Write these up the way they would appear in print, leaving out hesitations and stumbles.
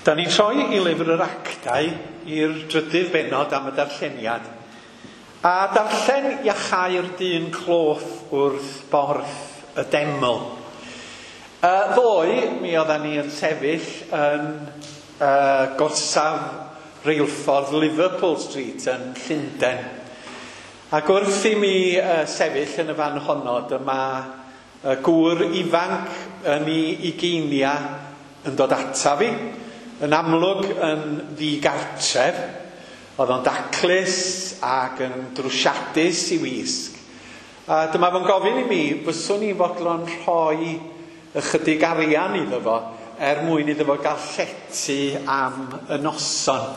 Da ni'n troi i lyfr yr actau i'r drydydd bennod am y darlleniad. A darllen iachau'r dyn cloff wrth borth y deml. Ddoe, mi oeddan ni yn sefyll yn gorsaf reilffordd Liverpool Street yn Llundain. Ac wrth i mi sefyll yn y fan honno, dyma gŵr ifanc yn ei ugeinia yn dod ata fi. Yn amlwg yn ddigartref, oedd o'n daclus ac yn drwsiadus i wisg. A dyma fo'n gofyn i mi, fyswn i fodlon rhoi ychydig arian iddo fo er mwyn iddo fo gael llety am y noson.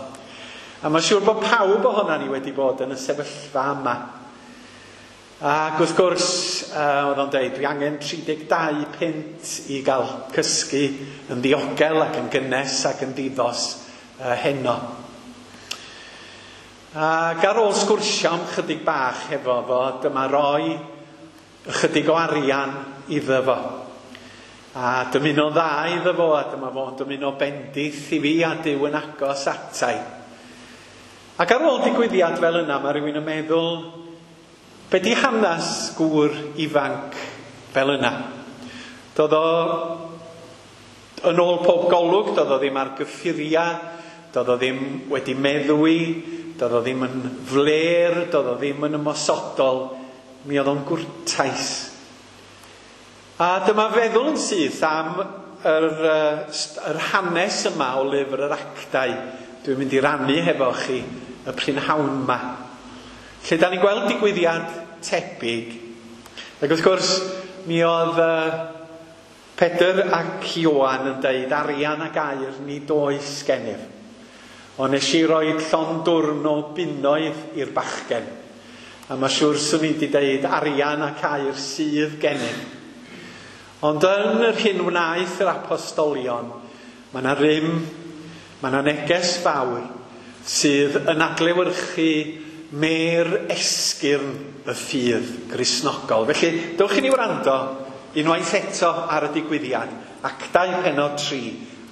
A mae'n siŵr bod pawb ohonan ni wedi bod yn y sefyllfa yma. Ac wrth gwrs, oedd o'n deud, dwi angen 32 punt i gael cysgu yn ddiogel ac yn gynnes ac yn ddiddos heno. Ac ar ôl sgwrsio am chydig bach hefo fo, dyma roi ychydig o arian iddo fo. A dymuno dda iddo fo, a dyma fo'n dymuno bendith i fi a Duw yn agos atai. Ac ar ôl digwyddiad fel yna, mae rhywun yn meddwl, be di hanes gŵr ifanc fel yna? Doedd o, yn ôl pob golwg, doedd o ddim ar gyffuriau, doedd o ddim wedi meddwi, doedd o ddim yn fler, doedd o ddim yn ymosodol, mi oedd o'n gwrtais. A dyma feddwl yn syth am yr hanes yma o lyfr yr actau dwi'n mynd i rannu hefo chi y prynhawn yma. Lle da ni'n gweld digwyddiad tebyg. Ac wrth gwrs, mi oedd Pedr ac Ioan yn deud arian ac aur nid oes gennyf. Ond nes i roi llond dwrn o bunnoedd i'r bachgen. A mae siŵr swn i wedi deud arian ac aur sydd gennyf. Ond yn yr hyn wnaeth yr apostolion, mae yna rym, mae yna neges fawr sydd yn adlewyrchu mêr esgyrn y ffydd Gristnogol. Felly, dewch i ni wrando unwaith eto ar y digwyddiad. Actau pennod 3,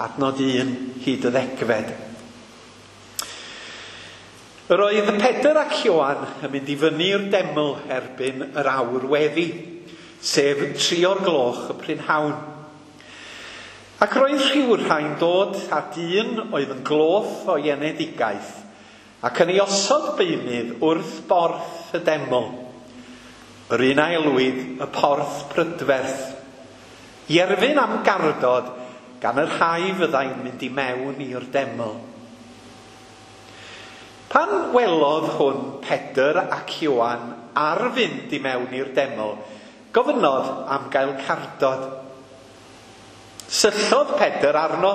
adnod 1 hyd y 10. Yr oedd Pedr ac Ioan yn mynd i fyny i'r deml erbyn yr awr weddi, sef 3 o'r gloch y prynhawn. Ac roedd rhywrhai'n dod â dyn oedd yn gloff o'i enedigaeth, ac yn ei osod beunydd wrth borth y deml, yr un a elwid y porth prydferth, i erfyn am gardod gan y rhai fyddai'n mynd i mewn i'r deml. Pan welodd hwn Pedr ac Ioan ar fynd i mewn i'r deml, gofynnodd am gael cardod. Syllodd Pedr arno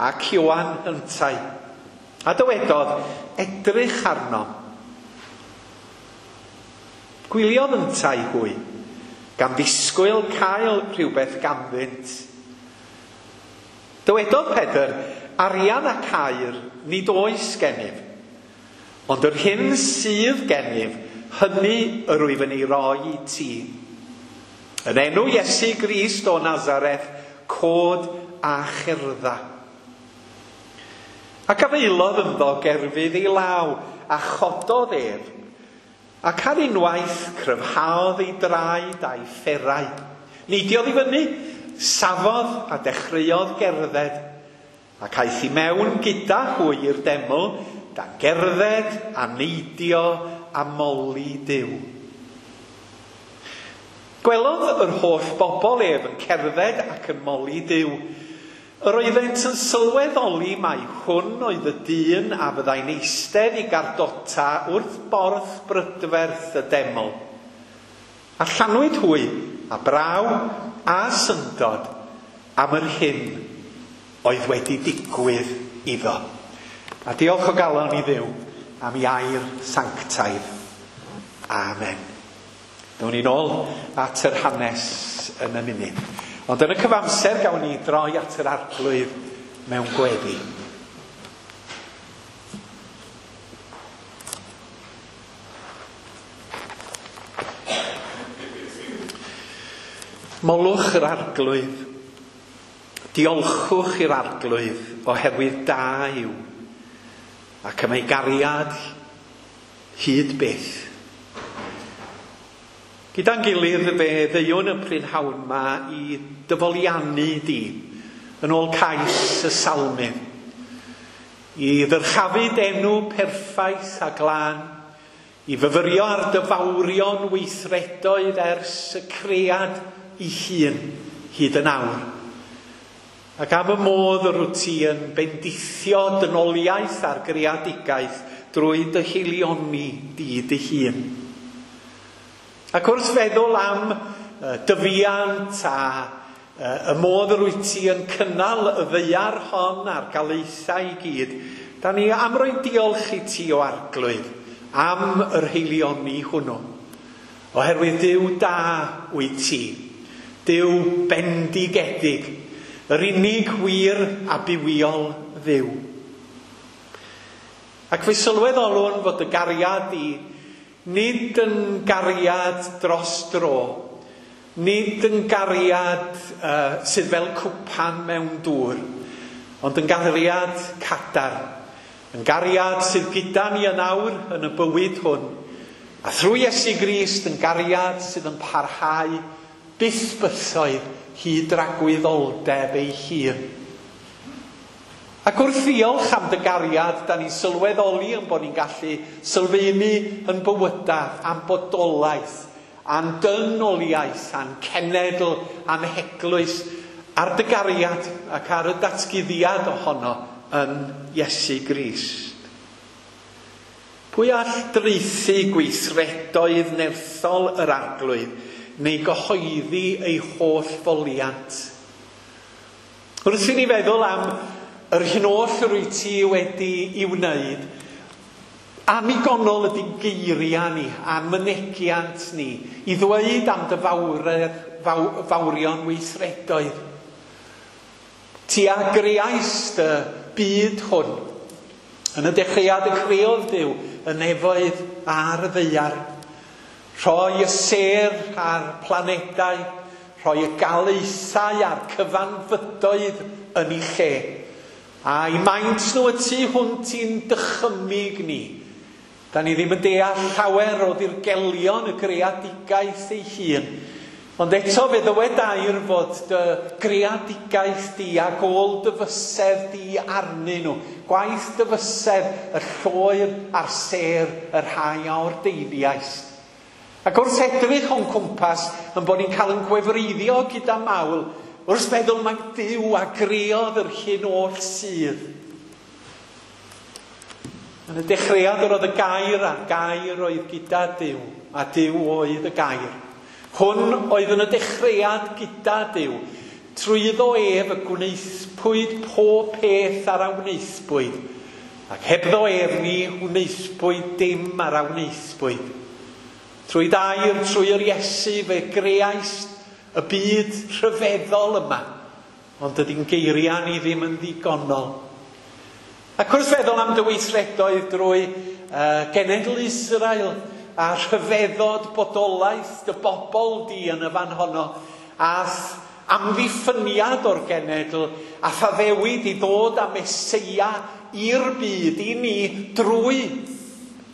ac Ioan yntau, a dywedodd, edrych arno. Gwyliodd yntau hwy, gan ddisgwyl cael rhywbeth ganddynt. Dywedodd Pedr, arian ac aur nid oes gennyf, ond yr hyn sydd gennyf, hynny yr wyf yn ei roi i ti. Yn enw Iesu Grist o Nazareth, cod a cherdda. Ac afaelodd ynddo gerfydd ei law, a chododd ef, ac ar unwaith cryfhaodd ei draed a'i fferau. Neidiodd i fyny, safodd a dechreuodd gerdded, ac aeth i mewn gyda hwy i'r deml, gan gerdded a neidio a moli Duw. Gwelodd yr holl bobl ef yn cerdded ac yn moli Duw. Yr oeddent yn sylweddoli mai hwn oedd y dyn a fyddai'n eistedd i gardota wrth borth brydferth y deml. A llanwyd hwy, a braw, a syndod am yr hyn oedd wedi digwydd iddo. A diolch o galon i Dduw am ei air sanctaidd. Amen. Down ni'n ôl at yr hanes yn y munud. Ond yn y cyfamser gawn ni droi at yr Arglwydd mewn gweddi. Molwch yr Arglwydd. Diolchwch i'r Arglwydd oherwydd da yw, ac am ei gariad hyd byth. Gyda'n gilydd fe ddeuwn y prynhawn 'ma i dy foliannu di, yn ôl cais y Salmydd, i ddyrchafu d'enw perffaith a glân, i fyfyrio ar dy fawrion weithredoedd ers y cread ei hun hyd yn awr. Ac am y modd yr wyt ti yn bendithio dynoliaeth a'r greadigaeth drwy dy haelioni di dy hun. Ac wrth feddwl am dyfiant a y modd yr wyt ti yn cynnal y ddaear hon a'r galaethau i gyd, da ni am roi diolch i ti, o Arglwydd, am yr haelioni hwnnw. Oherwydd Duw da wyt ti, Duw bendigedig, yr unig wir a bywiol Dduw. Ac fe sylweddolwn fod y gariad di nid yn gariad dros dro, nid yn gariad sydd fel cwpan mewn dŵr, ond yn gariad cadarn, yn gariad sydd gyda ni yn awr yn y bywyd hwn, a thrwy Iesu Grist yn gariad sydd yn parhau byth bythoedd hyd dragwyddoldeb ei hun. Ac wrth ddiolch am dy gariad, da ni'n sylweddoli yn bod ni'n gallu sylfaenu yn bywydau, a'n bodolaeth, a'n dynoliaeth, a'n cenedl, a'n heglwys, ar dy gariad ac ar y datguddiad ohono yn Iesu Grist. Pwy all draethu gweithredoedd nerthol yr Arglwydd neu gyhoeddi ei holl foliant? Wrth i ni feddwl am yr hyn oll yr wyt ti wedi i wneud, annigonol ydy geiriau ni a'n mynegiant ni i ddweud am dy fawredd, fawrion weithredoedd. Ti a greaist y byd hwn. Yn y dechreuad y creodd Duw y nefoedd a'r ddaear. Rhoi y sêr a'r planedau, rhoi y galaethau a'r cyfanfydoedd yn eu lle. A'i maint nhw y tu hwnt i'n dychymyg ni. Da ni ddim yn deall llawer o ddirgelion y greadigaeth ei hun. Ond eto fe ddywed air fod dy greadigaeth di ac ôl dy fysedd di arnyn nhw. Gwaith dy fysedd, y lloer a'r sêr, y rhai a ordeiniaist. Ac wrth edrych o'n cwmpas, yn bod ni'n cael yn gwefreiddio gyda mawl, wrth feddwl mai Duw a greodd yr hyn oll sydd. Yn y dechreuad yr oedd y gair, a'r gair oedd gyda Duw, a Duw oedd y gair. Hwn oedd yn y dechreuad gyda Duw. Trwyddo ef y gwnaethpwyd pob peth ar a wnaethpwyd, ac hebddo ef ni wnaethpwyd dim ar a wnaethpwyd. Trwy dair, trwy yr Iesu, fe greaist y byd rhyfeddol yma, ond dydy'n geiriau ni ddim yn ddigonol. Ac wrth feddwl am dy weithredoedd drwy genedl Israel a rhyfeddod bodolaeth dy bobl di yn y fan honno, a amddiffyniad o'r genedl, a thaddewid i ddod â Meseia i'r byd i ni drwy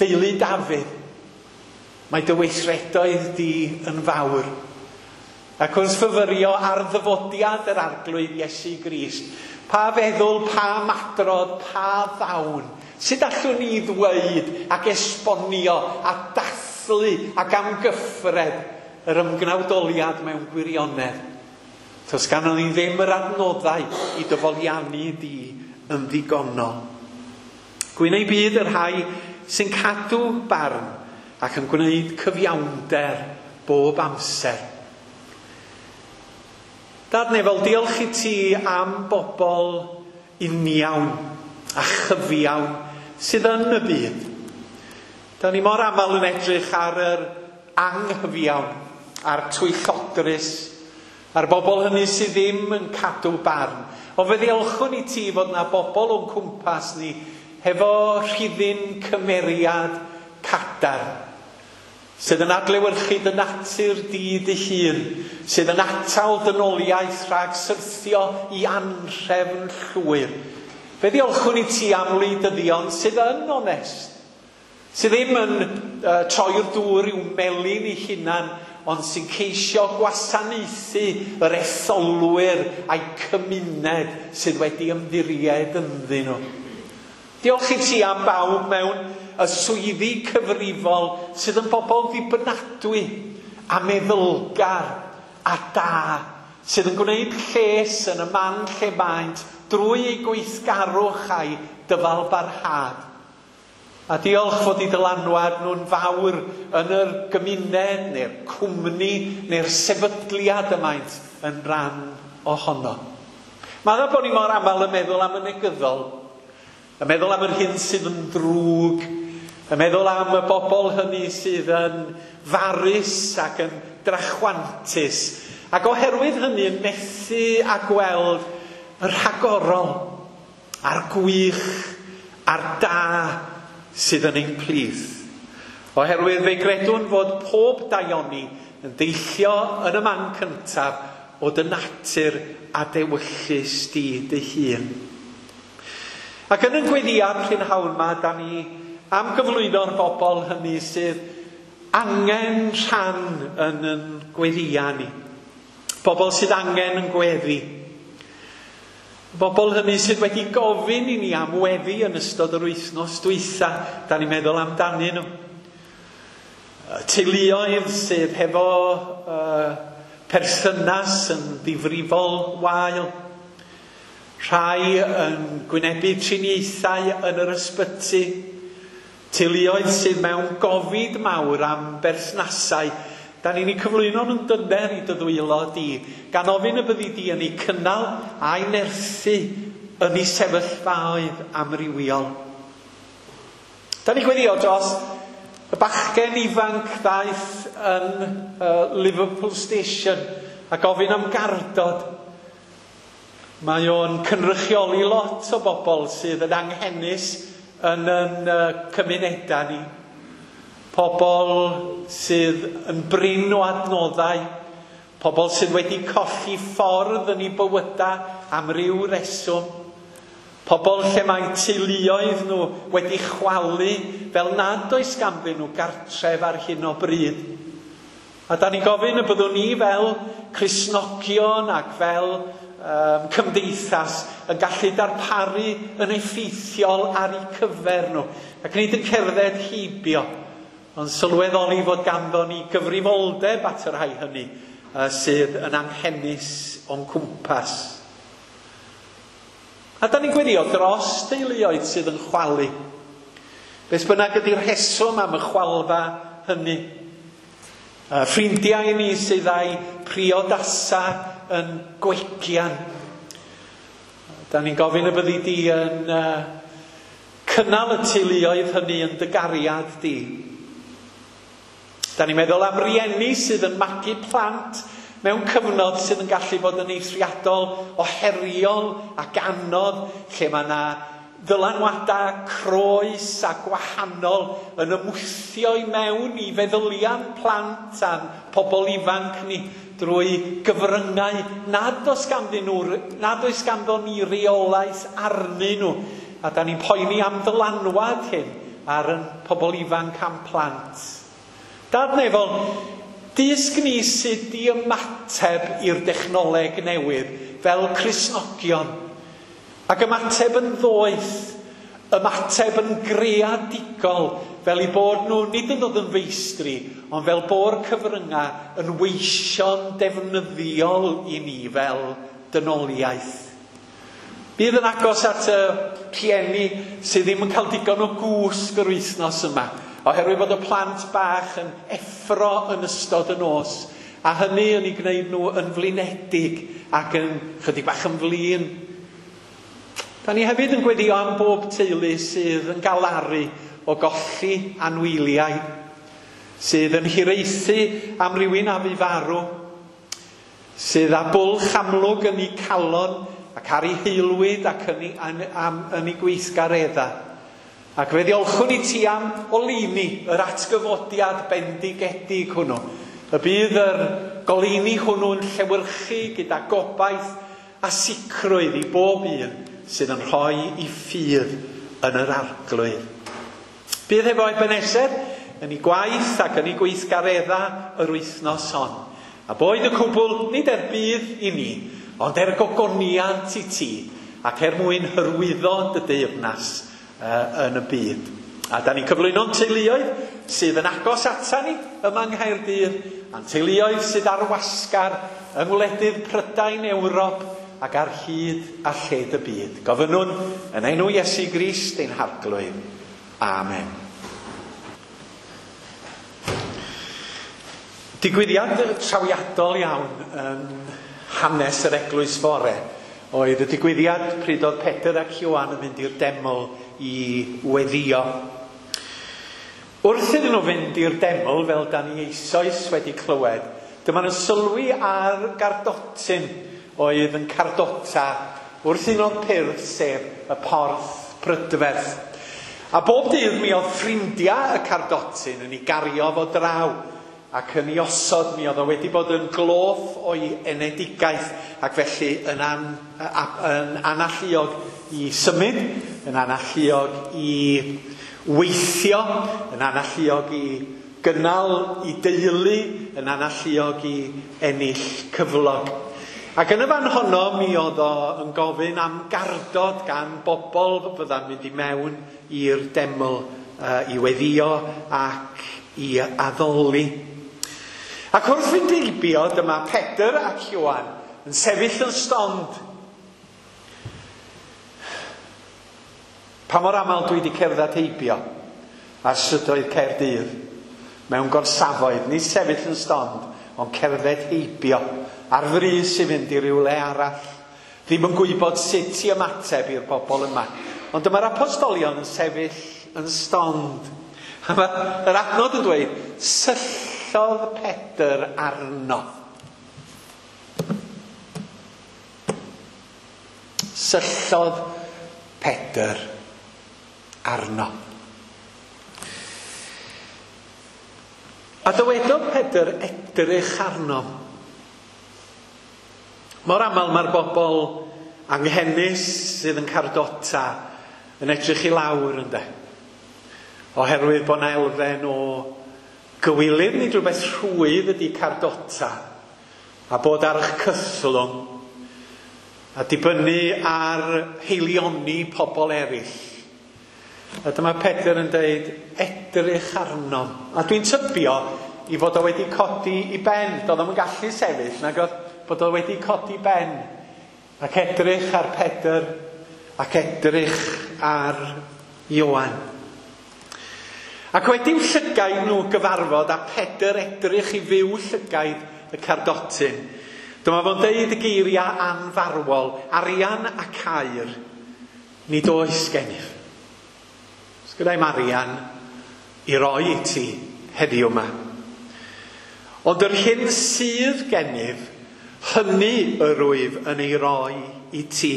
deulu Dafydd. Mae dy weithredoedd di yn fawr. Ac wrth fyfyrio ar ddyfodiad yr Arglwydd Iesu Grist, pa feddwl, pa madrodd, pa ddawn, sut allwn ni ddweud ac esbonio a dathlu ac amgyffred yr ymgnawdoliad mewn gwirionedd? Does ganddon ni ddim yr adnoddau i dy foliannu di yn ddigonol. Gwyn eu byd y rhai sy'n cadw barn ac yn gwneud cyfiawnder bob amser. Dad nefol, diolch i ti am bobl uniawn a chyfiawn sydd yn y byd. Da ni mor aml yn edrych ar yr anghyfiawn, a'r twyllodrus, a'r bobl hynny sydd ddim yn cadw barn. Ond fe ddiolchwn i ti fod na bobl o'n cwmpas ni hefo rhifyn cymeriad cadarn, sydd yn adlewyrchu dy natur di dy hun, sydd yn atal dynoliaeth rhag syrthio i anhrefn llwyr. Fe ddiolchwn i ti am wleidyddion sydd yn onest, sydd ddim yn troi'r dŵr i'w melin eu hunan, ond sy'n ceisio gwasanaethu yr etholwyr a'i cymuned sydd wedi ymddiried ynddyn nhw. Diolch i ti am bawb mewn y swyddi cyfrifol sydd yn bobl ddibynadwy a meddylgar a da, sydd yn gwneud lles yn y man lle maent drwy eu gweithgarwch a'i dyfalbarhad. A diolch fod eu dylanwad nhw'n fawr yn yr gymuned neu'r cwmni neu'r sefydliad y maent yn rhan ohono. Mae dda bod ni mor aml yn meddwl am y negyddol, yn meddwl am yr hyn sydd yn ddrwg, yn meddwl am y bobl hynny sydd yn farus ac yn drachwantus, ac oherwydd hynny yn methu a gweld y rhagorol a'r gwych a'r da sydd yn ein plith. Oherwydd fe gredwn fod pob daioni yn deillio yn y man cyntaf o dy natur a dewyllys di dy hun. Ac yn y gweddïau prynhawn yma, da ni am gyflwyno'r bobl hynny sydd angen rhan yn yn gweddïau ni. Bobl sydd angen yn gweddi. Bobl hynny sydd wedi gofyn i ni am weddi yn ystod yr wythnos dwytha, da ni'n meddwl amdanyn nhw. Teuluoedd sydd hefo perthynas yn ddifrifol wael. Rhai yn gwynebu triniaethau yn yr ysbyty. Teuluoedd sydd mewn gofid mawr am berthnasau. Da ni'n eu cyflwyno nhw'n dyner i dy ddwylo di, gan ofyn y byddi di yn eu cynnal a'i nerthu yn eu sefyllfaoedd amrywiol. Da ni'n gweddio dros y bachgen ifanc ddaeth yn Liverpool Station a gofyn am gardod. Mae o'n cynrychioli lot o bobl sydd yn anghenus yn yn cymunedau ni. Pobl sydd yn brin o adnoddau, pobl sydd wedi colli ffordd yn eu bywydau am ryw reswm, pobl lle mae teuluoedd nhw wedi chwalu fel nad oes ganddyn nhw gartref ar hyn o bryd. A da ni'n gofyn y byddwn ni fel Cristnogion ac fel cymdeithas yn gallu darparu yn effeithiol ar eu cyfer nhw, ac nid yn cerdded heibio, ond sylweddoli fod ganddo ni gyfrifoldeb at y rhai hynny sydd yn anghenus o'n cwmpas. A da ni'n gweddio dros deuluoedd sydd yn chwalu. Beth bynnag ydy'r rheswm am y chwalfa hynny. Ffrindiau ni sydd â'i priodasa yn gwegian. Da ni'n gofyn y byddi di yn cynnal y teuluoedd hynny yn dy gariad di. Da ni'n meddwl am rieni sydd yn magu plant mewn cyfnod sydd yn gallu bod yn eithriadol o heriol ac anodd, lle mae yna ddylanwadau croes a gwahanol yn ymwthio i mewn i feddyliau plant a'n pobl ifanc ni drwy gyfryngau nad oes ganddyn nhw, nad oes ganddo ni reolaeth arnyn nhw. A da ni'n poeni am ddylanwad hyn ar yn pobl ifanc a'n plant. Dad nefol, dysg ni sut i ymateb i'r dechnoleg newydd fel Cristnogion. Ac ymateb yn ddoeth, ymateb yn greadigol, fel eu bod nhw nid yn dod yn feistri, ond fel bo'r cyfryngau yn weision defnyddiol i ni fel dynoliaeth. Bydd yn agos at y rhieni sydd ddim yn cael digon o gwsg yr wythnos yma, oherwydd bod y plant bach yn effro yn ystod y nos, a hynny yn eu gwneud nhw yn flinedig ac yn chydig bach yn flin. Da ni hefyd yn gweddio am bob teulu sydd yn galaru o golli anwyliaid, sydd yn hiraethu am rywun a fu farw, sydd â bwlch amlwg yn eu calon ac ar eu haelwyd ac yn eu gweithgareddau. Ac fe ddiolchwn i ti am oleuni, yr atgyfodiad bendigedig hwnnw. Y bydd yr goleuni hwnnw'n llewyrchu gyda gobaith a sicrwydd i bob un sydd yn rhoi i ffydd yn yr Arglwydd. Bydd hefo Ebenezer yn ei gwaith ac yn ei gweithgareddau yr wythnos hon. A boed y cwbl nid er budd i ni, ond er gogoniant i ti, ac er mwyn hyrwyddo dy deyrnas yn y byd. A da ni'n cyflwyno'n teuluoedd sydd yn agos ata ni yma yng Nghaerdydd, a'n teuluoedd sydd ar wasgar yng ngwledydd Prydain, Ewrop ac ar hyd a lled y byd. Gofynnwn yn enw Iesu Grist ein Harglwydd. Amen. Digwyddiad trawiadol iawn yn hanes yr eglwys fore oedd y digwyddiad pryd oedd Pedr ac Ioan yn mynd i'r deml i weddio. Wrth iddyn nhw fynd i'r deml, fel da ni eisoes wedi clywed, dyma nhw'n sylwi ar gardotyn oedd yn cardota wrth un o'r pyrth, sef y porth prydferth. A bob dydd mi oedd ffrindiau y cardotyn yn ei gario fo draw ac yn ei osod. Mi oedd o wedi bod yn gloff o'i enedigaeth ac felly yn, an, yn analluog i symud, yn analluog i weithio, yn analluog i gynnal i deulu, yn analluog i ennill cyflog. Ac yn y fan honno mi oedd o yn gofyn am gardod gan bobl fydda'n mynd i mewn i'r deml i weddio ac i addoli. Ac wrth fynd heibio, dyma Pedr ac Ioan yn sefyll yn stond. Pa mor aml dwi wedi cerdded heibio ar strydoedd Caerdydd mewn gorsafoedd, nid sefyll yn stond, ond cerdded heibio ar frys i fynd i rywle arall. Ddim yn gwybod sut i ymateb i'r bobl yma. Ond dyma'r apostolion yn sefyll yn stond. A mae'r adnod yn dweud, syllodd Pedr arno. Syllodd Pedr arno. A dywedodd Pedr, edrych arno. Mor aml mae'r bobl anghenus sydd yn cardota yn edrych i lawr, ynde? Oherwydd bod 'na elfen o gywilydd nid rhywbeth rhwydd ydy cardota, a bod ar eich cythlwng, a dibynnu ar heilioni pobl eraill. A dyma Pedr yn dweud, edrych arno. A dwi'n tybio i fod o wedi codi i ben. Doedd o'm yn gallu sefyll, nag oedd, bod o wedi codi ben. Ac edrych ar Pedr, ac edrych ar Ioan. Ac wedi'w llygaid nhw gyfarfod, a Pedr edrych i fyw llygaid y cardotyn, dyma fo'n deud y geiriau anfarwol, arian ac aur, nid oes gennyf. Sgyda i'm arian i roi i ti heddiw yma. Ond yr hyn sydd gennyf, hynny yr wyf yn ei roi i ti.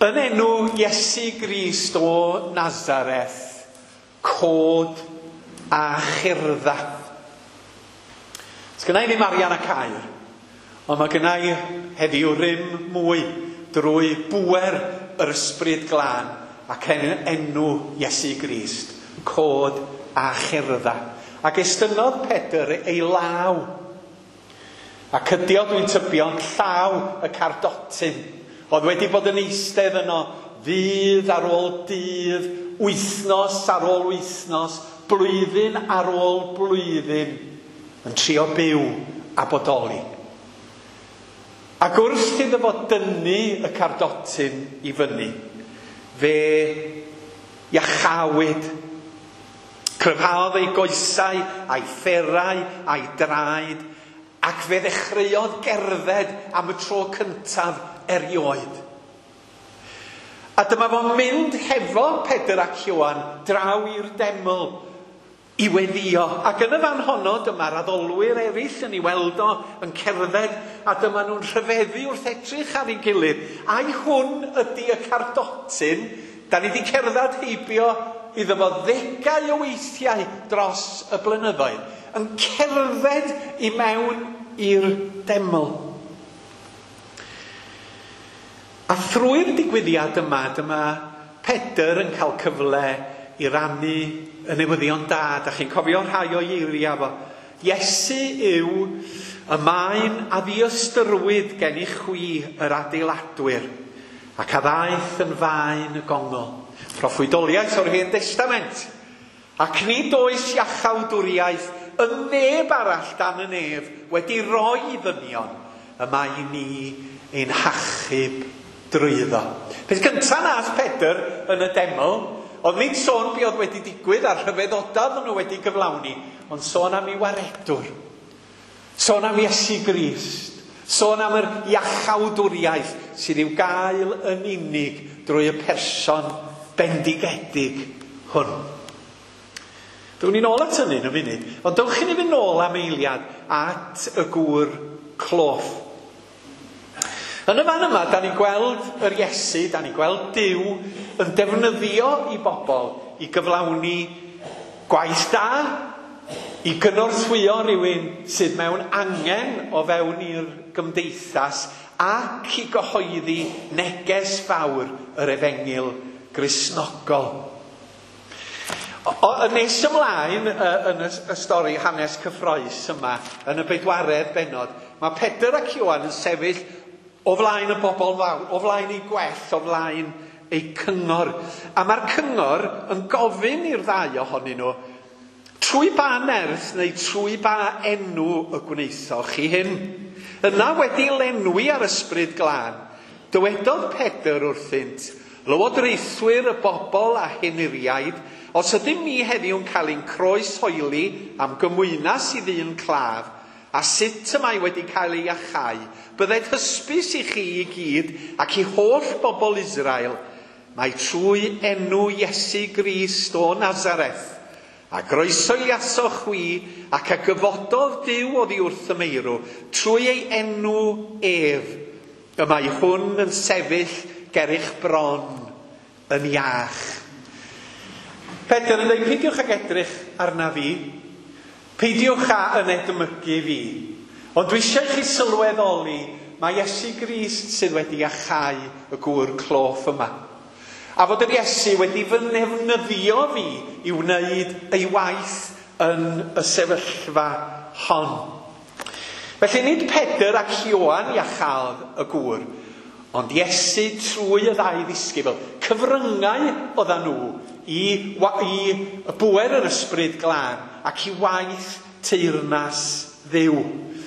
Yn enw Iesu Grist o Nazareth, cod a cherdda. Sgynna i ddim arian ac aur, ond mae gynna i heddiw rym mwy drwy bŵer yr Ysbryd Glân ac enw Iesu Grist, cod a cherdda. Ac estynnodd Pedr ei law, a cydio, dwi'n tybio, yn llaw y cardotyn, oedd wedi bod yn eistedd yno ddydd ar ôl dydd, wythnos ar ôl wythnos, blwyddyn ar ôl blwyddyn, yn trio byw a bodoli. Ac wrth iddo fo dynnu y cardotyn i fyny, fe iachawyd. Cryfhaodd ei goesau, a'i fferau, a'i draed, ac fe ddechreuodd gerdded am y tro cyntaf erioed. A dyma fo'n mynd hefo Pedr ac Ioan draw i'r deml. i weddio. Ac yn y fan honno, dyma'r addolwyr eraill yn ei weld o yn cerdded, a dyma nhw'n rhyfeddu wrth edrych ar ei gilydd. Ai hwn ydy y cardotyn? Da ni wedi cerdded heibio iddo fo ddegau o weithiau dros y blynyddoedd, yn cerdded i mewn i'r deml. A thrwy'r digwyddiad yma, dyma Pedr yn cael cyfle i rannu y newyddion da. Da chi'n cofio rhai o eiriau fo. Iesu yw y maen a ddiystyrwyd gen i chwi yr adeiladwyr, ac a ddaeth yn faen y gongol. Proffwydoliaeth o'r Hen Destament. Ac nid oes iachawdwriaeth y neb arall dan y nef wedi roi i ddynion y mae i ni ein hachub drwyddo. Peth cyntaf nath Pedr yn y deml, oedd nid sôn be oedd wedi digwydd a'r rhyfeddodau oedden nhw wedi gyflawni, ond sôn am ei waredwr. Sôn am Iesu Grist. Sôn am yr iachawdwriaeth sydd i'w gael yn unig drwy y person bendigedig hwn. Down ni'n ôl at hynny yn y funud, ond dewch i ni fynd nôl am eiliad at y gŵr cloff. Yn y fan yma, da ni'n gweld yr Iesu, da ni'n gweld Duw yn defnyddio i bobl i gyflawni gwaith da, i gynorthwyo rhywun sydd mewn angen o fewn i'r gymdeithas ac i gyhoeddi neges fawr yr efengyl Gristnogol. Yn nes ymlaen yn y stori hanes cyffrous yma, yn y bedwaredd bennod, mae Pedr ac Ioan yn sefyll o flaen y bobl fawr, o flaen eu gwell, o flaen eu cyngor. A mae'r cyngor yn gofyn i'r ddau ohonyn nhw, trwy ba nerth neu trwy ba enw y gwnaethoch chi hyn? Yna wedi lenwi ar ysbryd glân, dywedodd Pedr wrthynt, lywodraethwyr y bobl a henuriaid, os ydym ni heddiw'n cael ein croeshoeli am gymwynas i ddyn claf, a sut y mae wedi cael ei iachau, bydded hysbys i chi i gyd ac i holl bobl Israel, mae trwy enw Iesu Grist o Nazareth, a groesoeliasoch chwi ac a gyfododd Duw oddi wrth y meirw, trwy ei enw ef, y mae hwn yn sefyll ger eich bron yn iach. Pedr yn dweud, peidiwch ag edrych arna fi, peidiwch â yn edmygu fi, ond dwi eisiau chi sylweddoli mae Iesu Grist sydd wedi iachau y gŵr cloff yma. A fod yr Iesu wedi fy nefnyddio fi i wneud ei waith yn y sefyllfa hon. Felly nid Pedr ac Ioan iachaodd y gŵr, ond Iesu trwy y ddau ddisgybl. Cyfryngau oedden nhw i bŵer yr ysbryd glân ac i waith teyrnas Dduw.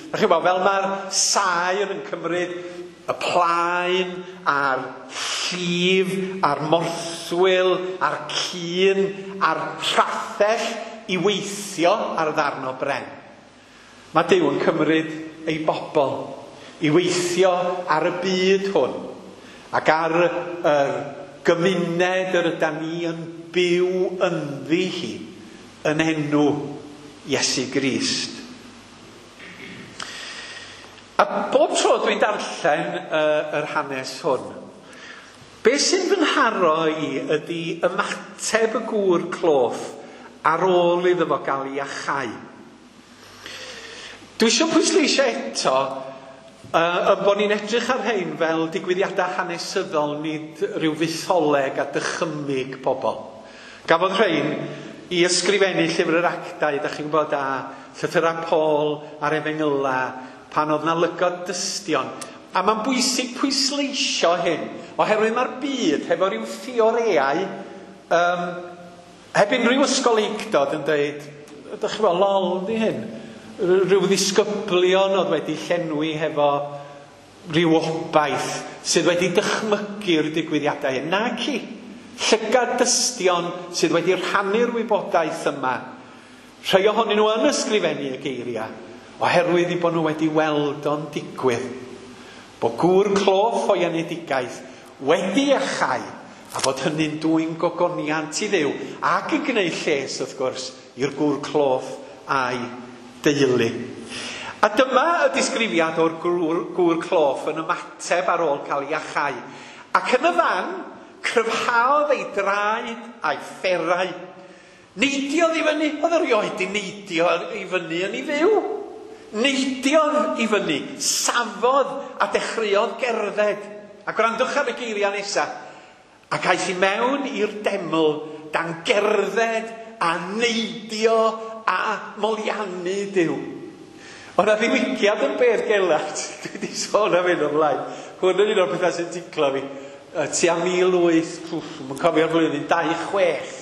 Dach chi'n gwybod, fel mae'r saer yn cymryd y plaen a'r llif a'r morthwyl a'r cyn a'r rhathell i weithio ar ddarn o bren. Mae Duw yn cymryd ei bobl i weithio ar y byd hwn ac ar yr gymuned yr ydan ni yn byw ynddi hi yn enw Iesu Grist. A bob tro dwi'n darllen yr hanes hwn, beth sy'n fy nharo i ydy ymateb y gŵr cloff ar ôl iddo fo gael ei iachau. Dwi eisiau pwysleisio eto bod ni'n edrych ar rhain fel digwyddiadau hanesyddol, nid rhyw fytholeg a dychymyg pobl. Gafodd rhain i ysgrifennu llyfr yr Actau, da chi'n gwybod, a llythyrau Paul a'r Efengyla, pan oedd na lygod dystion. A mae'n bwysig pwysleisio hyn, oherwydd mae'r byd hefo rhyw theoreau, heb unrhyw ysgolheictod yn dweud, ydych chi'n gwybod, lol di hyn. Rhyw ddisgyblion oedd wedi llenwi hefo rhyw obaith sydd wedi dychmygu'r digwyddiadau hyn. Naci, llygad dystion sydd wedi rhannu'r wybodaeth yma. Rhai ohonyn nhw yn ysgrifennu y geiriau, oherwydd i bod nhw wedi weld o'n digwydd. Bod gŵr cloff o'i enedigaeth wedi iachau, a bod hynny'n dwyn gogoniant i Dduw, ac yn gwneud lles, wrth gwrs, i'r gŵr cloff a'i deulu. A dyma y disgrifiad o'r gŵr cloff yn ymateb ar ôl cael ei iachau. Ac yn y fan, cryfhaodd ei draed a'i fferau. Neidiodd i fyny, oedd erioed di neidio i fyny yn ei fyw. Neidiodd i fyny, safodd a dechreuodd gerdded. A gwrandwch ar y geiriau nesaf. Ac aeth i mewn i'r deml dan gerdded a neidio a moliannu Duw. Oedd 'na ddiwygiad yn Beddgelert, dwi wedi sôn am hyn o blaen. Hwn yn un o'r pethau sy'n ticlo fi. Tua 18, mae'n cofio'r flwyddyn, 26.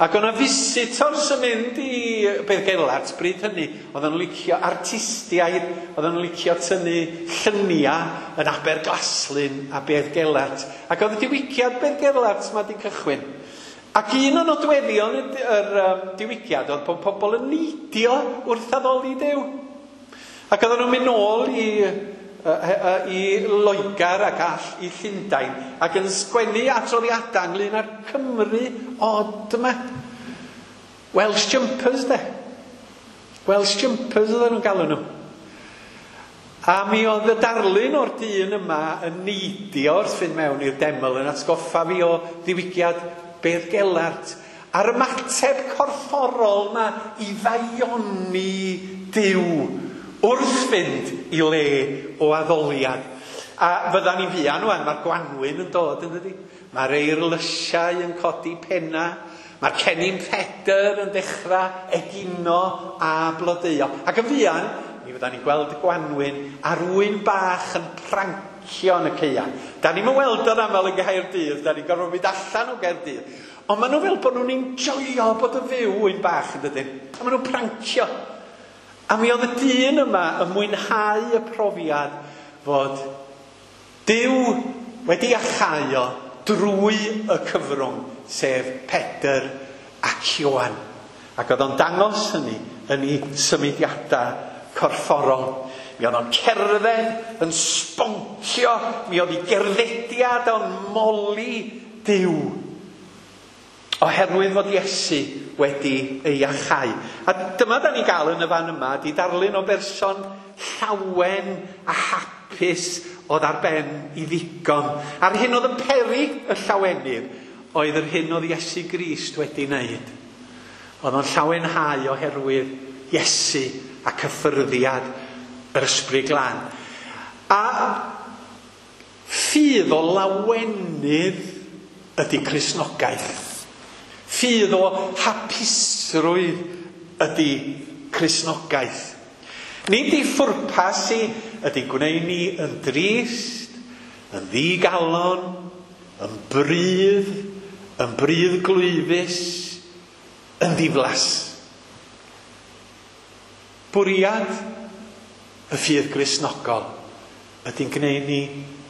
Ac o'na visitors yn mynd i Beddgelert bryd hynny, oedden nhw'n licio artistiaid, oedden nhw'n licio tynnu lluniau yn Aberglaslyn a Beddgelert. Ac oedd y diwygiad Beddgelert ma di cychwyn. Ac un o nodweddion yr diwygiad oedd bod pobl yn neidio wrth addoli Duw. Ac oedden nhw'n mynd nôl i Loegr ac all i Llundain ac yn sgwennu adroddiadau ynglyn â'r Cymru od yma. Welsh jumpers de. Welsh jumpers oedden nhw'n galw nhw. A mi oedd y darlun o'r dyn yma yn neidio wrth fynd mewn i'r deml yn atgoffa fi o ddiwygiad Beddgelert. A'r ymateb corfforol yma i ddaioni Duw wrth fynd i le o addoliad. A fyddan ni'n fuan wan, mae'r gwanwyn yn dod yn dydi? Mae'r eirlysiau yn codi penna, mae'r cennin Pedr yn dechrau egino a blodeuo. Ac yn fuan, mi fyddan ni'n gweld y gwanwyn a'r ŵyn bach yn prancio yn y caea. Da ni'm yn weld o'n aml yn Gaerdydd, da ni'n gorfod mynd allan o Gaerdydd. Ond maen nhw fel bod nhw'n enjoio bod yn fyw ŵyn bach yn dydyn. A maen nhw'n prancio. A mi oedd y dyn yma yn mwynhau y profiad fod Duw wedi iachau o drwy y cyfrwng, sef Pedr ac Ioan. Ac oedd o'n dangos hynny yn ei symudiadau corfforol. Mi oedd o'n cerdded, yn sboncio, mi oedd ei gerddediad o'n moli Duw. Oherwydd fod Iesu wedi ei iachau. A dyma da ni'n gael yn y fan yma, di darlun o berson llawen a hapus oedd ar ben i ddigon. A'r hyn oedd yn peri y llawenydd oedd yr hyn oedd Iesu Grist wedi wneud. Oedd o'n llawenhau oherwydd Iesu a cyffyrddiad yr Ysbryd Glân. A ffydd o lawenydd ydy Cristnogaeth. Ffydd o hapusrwydd ydy Cristnogaeth. Nid ei phwrpas i ydy gwneud ni yn drist, yn ddigalon, yn brudd, yn bruddglwyfus, yn ddiflas. Bwriad y ffydd Gristnogol ydy'n gwneud ni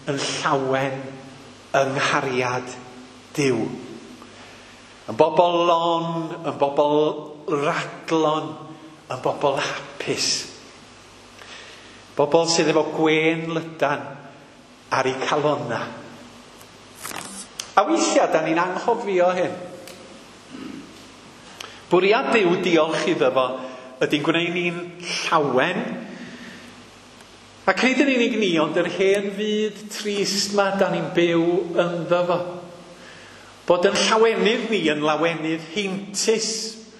yn llawen yng nghariad Duw. Yn bobl lon, yn bobl radlon, yn bobl hapus. Bobl sydd efo gwên lydan ar eu calonna. A weithiau, da ni'n anghofio hyn. Bwriad Duw, diolch iddo fo, ydy'n gwneud ni'n llawen. Ac nid yn unig ni, ond yr hen fyd trist ma da ni'n byw ynddo fo. Bod yn llawenydd ni yn lawenydd heintus,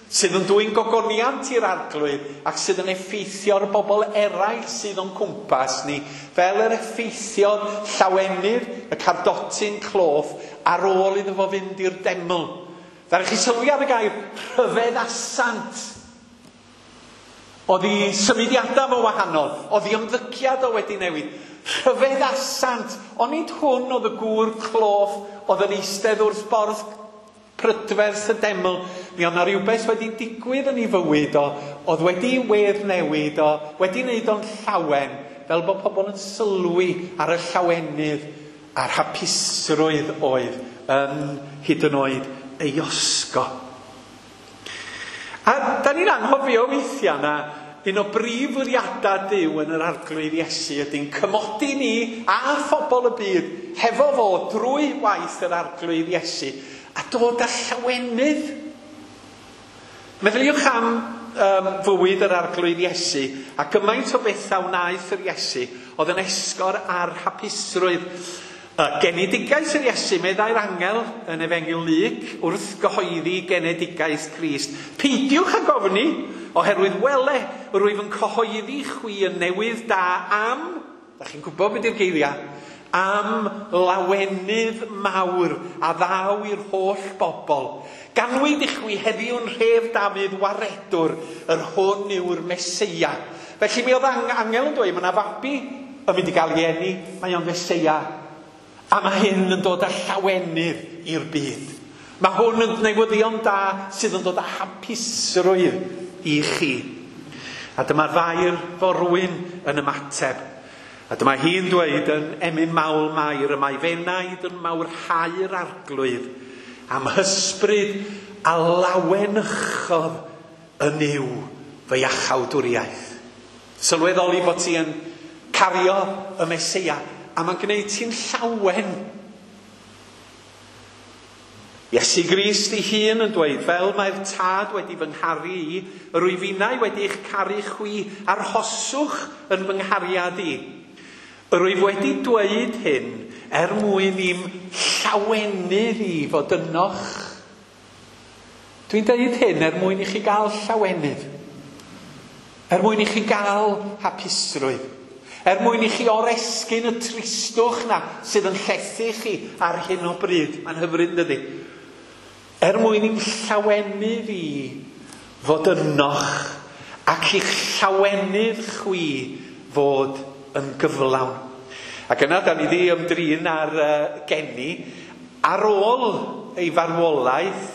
sydd yn dwyn gogoniant i'r Arglwydd ac sydd yn effeithio'r bobl eraill sydd o'n cwmpas ni, fel yr effeithiodd llawenydd y cardotyn cloff ar ôl iddo fo fynd i'r deml. Ddaru chi sylwi ar y gair rhyfeddasant. Oedd ei symudiadau fo wahanol, oedd ei ymddygiad o wedi newid. Rhyfeddasant, ond nid hwn oedd y gŵr cloff oedd yn eistedd wrth borth prydferth y deml. Mi oedd 'na rhywbeth wedi digwydd yn ei fywyd o, oedd wedi wedd newid o, wedi wneud o'n llawen, fel bod pobl yn sylwi ar y llawenydd a'r hapusrwydd oedd yn hyd yn oed ei osgo. A da ni'n anghofio weithiau na un o brif fwriadau Duw yn yr Arglwydd Iesu ydy'n cymodi ni a phobl y byd hefo fo drwy waith yr Arglwydd Iesu a dod â llawenydd. Meddyliwch am fywyd yr Arglwydd Iesu a gymaint o bethau wnaeth yr Iesu oedd yn esgor ar hapusrwydd. Genedigaeth yr Iesu, meddai'r angel yn Efengyl Luc wrth gyhoeddi genedigaeth Crist. Peidiwch ag ofni, oherwydd wele, rwyf yn cyhoeddi chwi y newydd da am, da chi'n gwybod beth yw'r geiriau, am lawenydd mawr a ddaw i'r holl bobl. Ganwyd i chwi heddiw'n rhef Dafydd waredwr, yr hwn yw'r Meseia. Felly mi oedd angel yn dweud, mae yna fabi yn mynd i gael ei eni, mae o'n Feseia. A mae hyn yn dod â llawenydd i'r byd. Mae hwn yn newyddion da sydd yn dod â hapusrwydd i chi. A dyma'r Fair forwyn yn ymateb. A dyma hi'n dweud yn emyn mawl Mair, y mae fenaid yn mawrhau'r Arglwydd am hysbryd a lawenychodd yn yw fy iachawdwriaeth. Sylweddoli bod ti yn cario y Meseia, a mae'n gwneud ti'n llawen. Iesu Grist ei hun yn dweud, fel mae'r Tad wedi fy ngharu i, yr wyf innau wedi eich caru chwi, arhoswch yn fy nghariad i. Yr wyf wedi dweud hyn er mwyn i'm llawenydd i fod ynoch. Dwi'n dweud hyn er mwyn i chi gael llawenydd. Er mwyn i chi gael hapusrwydd. Er mwyn i chi oresgyn y tristwch na sydd yn llethu chi ar hyn o bryd. Mae'n hyfryd, dydy? Er mwyn i'm llawenydd i fod ynoch ac i'ch llawenydd chwi fod yn gyflawn. Ac yna, da ni wedi ymdrin ar geni. Ar ôl ei farwolaeth,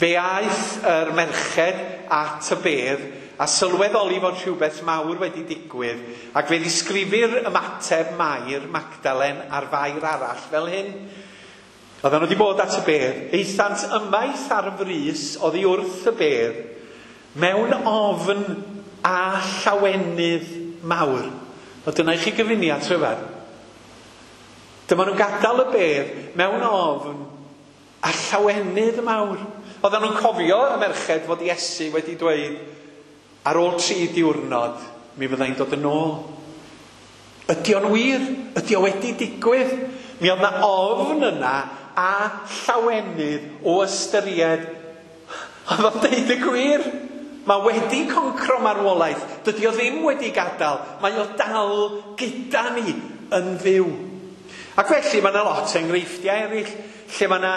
fe aeth yr merched at y bedd a sylweddoli fod rhywbeth mawr wedi digwydd, ac fe ddisgrifir ymateb Mair Magdalen a'r Fair arall fel hyn. Oedden nhw wedi bod at y bedd, aethant ymaith ar frys oddi wrth y bedd, mewn ofn a llawenydd mawr. O, dyna i chi gyfuniad rhyfedd. Dyma nhw'n gadael y bedd mewn ofn a llawenydd mawr. Oedden nhw'n cofio y merched fod Iesu wedi dweud, ar ôl 3 diwrnod, mi fyddai'n dod yn ôl. Ydy o'n wir? Ydy o wedi digwydd? Mi oedd na ofn yna a llawenydd o ystyried. Oedd o'n deud y gwir. Mae wedi concro marwolaeth. Dydy o ddim wedi gadael. Mae o dal gyda ni yn fyw. Ac felly mae yna lot o enghreifftiau eraill lle mae yna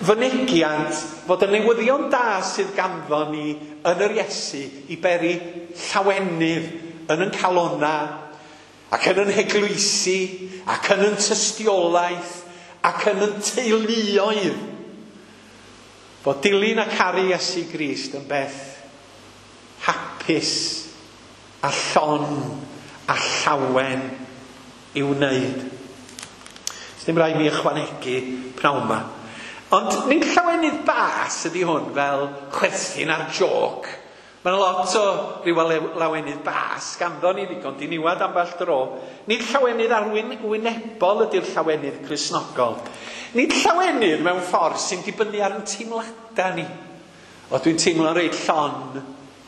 fynegiant fod y newyddion da sydd ganddo ni yn yr Iesu i beri llawenydd yn yn calona ac yn yn heglwysi ac yn yn tystiolaeth ac yn yn teuluoedd. Fod dilyn a caru Iesu Grist yn beth hapus a llon a llawen i'w wneud. Sdim rhaid mi ychwanegu pnawn 'ma. Ond nid llawenydd bas ydy hwn fel chwerthin ar joc. Mae yna lot o ryw lawenydd bas ganddo ni ddigon diniwad ambell dro. Nid llawenydd arwynebol ydy'r llawenydd Cristnogol. Nid llawenydd mewn ffordd sy'n dibynnu ar ein teimladau ni. O, dwi'n teimlo reit llon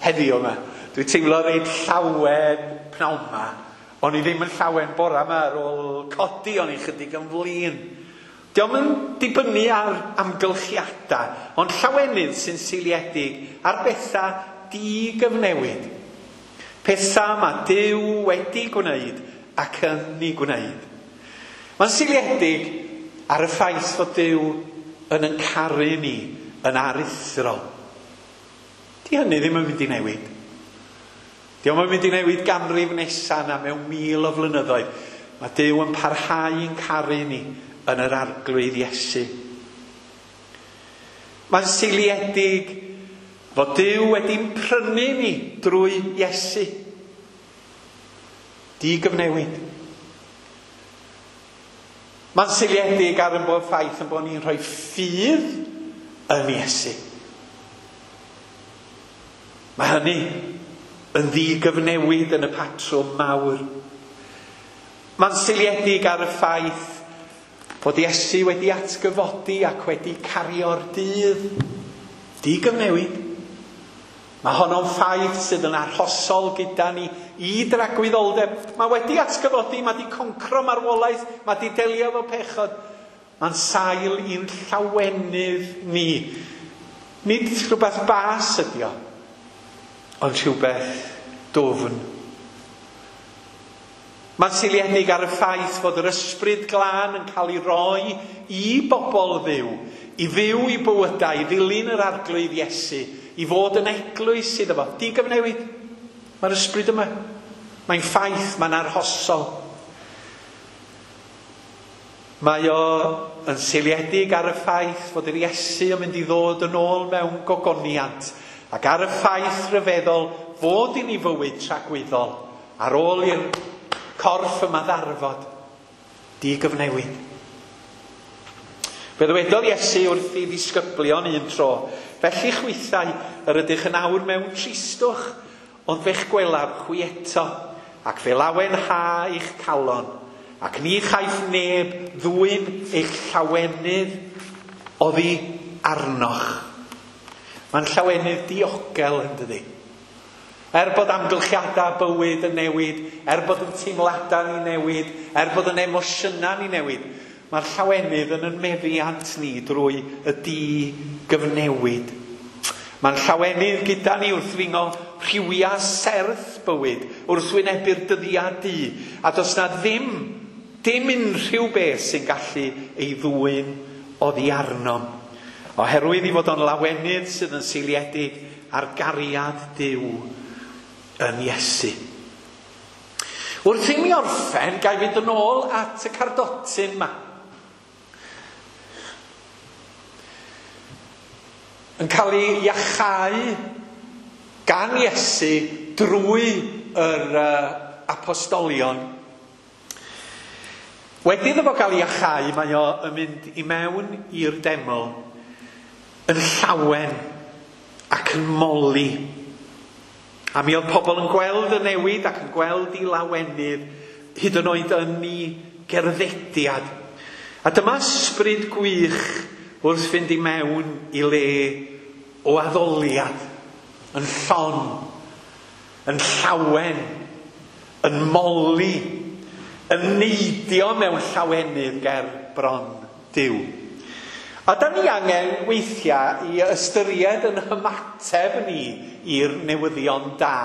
heddiw yma. Dwi'n teimlo reit llawen pnawn 'ma. O'n i ddim yn llawen bora yma ar ôl codi, o'n i chydig yn flin. Dio'm yn dibynnu ar amgylchiadau, ond llawenydd sy'n seiliedig ar bethau digyfnewid. Pethau mae Duw wedi gwneud ac yn ei gwneud. Mae'n seiliedig ar y ffaith fod Duw yn yn caru ni yn aruthrol. Di hynny ddim yn mynd i newid. Dio'm yn mynd i newid ganrif nesaf na mewn 1000 o flynyddoedd. Mae Duw yn parhau yn caru ni yn yr Arglwydd Iesu. Mae'n seiliedig fod Duw wedi'n prynu ni drwy Iesu. Digyfnewid. Mae'n seiliedig ar yn bod ffaith yn bod ni'n rhoi ffydd yn Iesu. Mae hynny yn ddigyfnewid yn y patrwm mawr. Mae'n seiliedig ar y ffaith Fod Iesu wedi atgyfodi ac wedi cario'r dydd digyfnewid. Mae honno'n ffaith sydd yn arhosol gyda ni i dragwyddoldeb. Mae wedi atgyfodi, mae wedi concro marwolaeth, mae wedi delio efo pechod. Mae'n sail i'n llawenydd ni. Nid rhywbeth bas ydi o, ond rhywbeth dwfn. Mae'n seiliedig ar y ffaith fod yr ysbryd glân yn cael ei roi i bobl Dduw, i fyw i bywydau, i ddilyn yr Arglwydd Iesu, i fod yn eglwys iddo fo. Digyfnewid. Mae'r ysbryd yma. Mae'n ffaith, mae'n arhosol. Mae o yn seiliedig ar y ffaith fod yr Iesu yn mynd i ddod yn ôl mewn gogoniant ac ar y ffaith rhyfeddol fod i ni fywyd tragwyddol ar ôl i'r corff yma ddarfod digyfnewid. Fe ddywedodd Iesu wrth ei ddisgyblion un tro, felly chwithau yr ydych yn awr mewn tristwch, ond fe'ch gwelaf chwi eto, ac fe lawenha eich calon, ac ni chaiff neb ddwyn eich llawenydd oddi arnoch. Mae'n llawenydd diogel yn dydi. Er bod amgylchiadau bywyd yn newid, er bod yn teimladau ni newid, er bod yn emosiynau ni newid, mae'r llawenydd yn yn meddiant ni drwy y digyfnewid. Mae'n llawenydd gyda ni wrth ringo rhywiau serth bywyd, wrth wynebu'r dyddiau du, a does na ddim unrhyw beth sy'n gallu ei ddwyn oddi arnom. Oherwydd i fod o'n lawenydd sydd yn seiliedig ar gariad Duw yn Iesu. Wrth i mi orffen, ga i fynd yn ôl at y cardotyn yma. Yn cael ei iachau gan Iesu drwy yr apostolion. Wedi iddo fo gael ei iachau, mae o yn mynd i mewn i'r deml yn llawen ac yn moli. A mi oedd pobl yn gweld y newid ac yn gweld ei lawenydd, hyd yn oed yn ei gerddediad. A dyma ysbryd gwych wrth fynd i mewn i le o addoliad, yn llon, yn llawen, yn moli, yn neidio mewn llawenydd ger bron Duw. A da ni angen weithiau i ystyried yn hymateb ni i'r newyddion da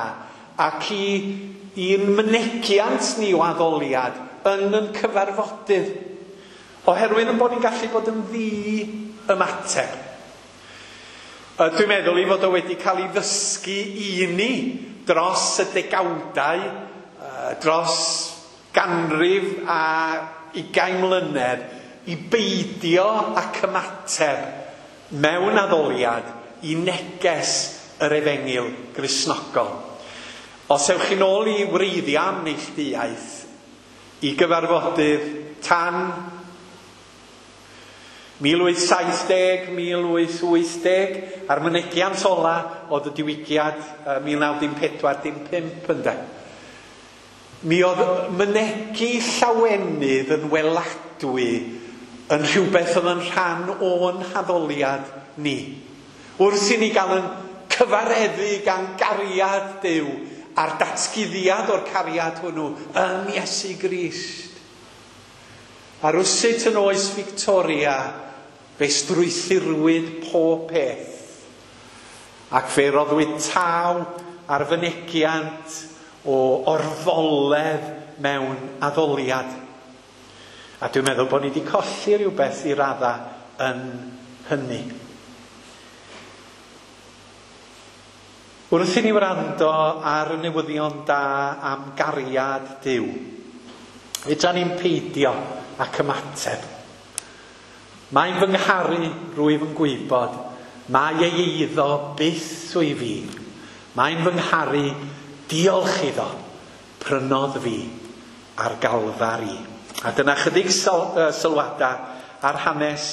ac i'n mynegiant ni o addoliad yn yn cyfarfodydd. Oherwydd yn bod ni'n gallu bod yn ddi-ymateb. Dwi'n meddwl i fod o wedi cael ei ddysgu i ni dros y degawdau, dros ganrif a 20 mlynedd, i beidio ac ymateb mewn addoliad i neges yr efengyl Gristnogol. Os ewch chi'n ôl i wreiddiau am neilltuaeth, i gyfarfodydd tan 1870, 1880, a'r mynegiant ola oedd y diwygiad 1914-15 ynde. Mi oedd mynegi llawenydd yn weladwy yn rhywbeth oedd yn rhan o'n haddoliad ni. Wrth i ni gael yn cyfareddu gan gariad Duw a'r datguddiad o'r cariad hwnnw yn Iesu Grist. A rywsut yn oes Victoria, fe strwythurwyd pob peth. Ac fe roddwyd taw ar fynegiant o orfoledd mewn addoliad. A dwi'n meddwl bod ni wedi colli rhywbeth i radda yn hynny. Wrth i ni wrando ar y newyddion da am gariad Duw, fedra ni'n peidio ac ymateb. Mae'n fy ngharu, rwyf yn gwybod, mae ei eiddo byth wyf fi. Mae'n fy ngharu, diolch iddo, prynodd fi ar Galfari. A dyna chydig sylwadau ar hanes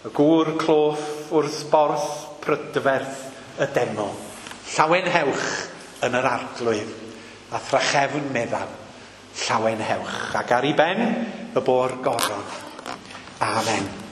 y gŵr cloff wrth borth prydferth y deml. Llawenhewch yn yr Arglwydd, a thrachefn meddaf, llawenhewch. Ac ar ei ben y bo'r goron. Amen.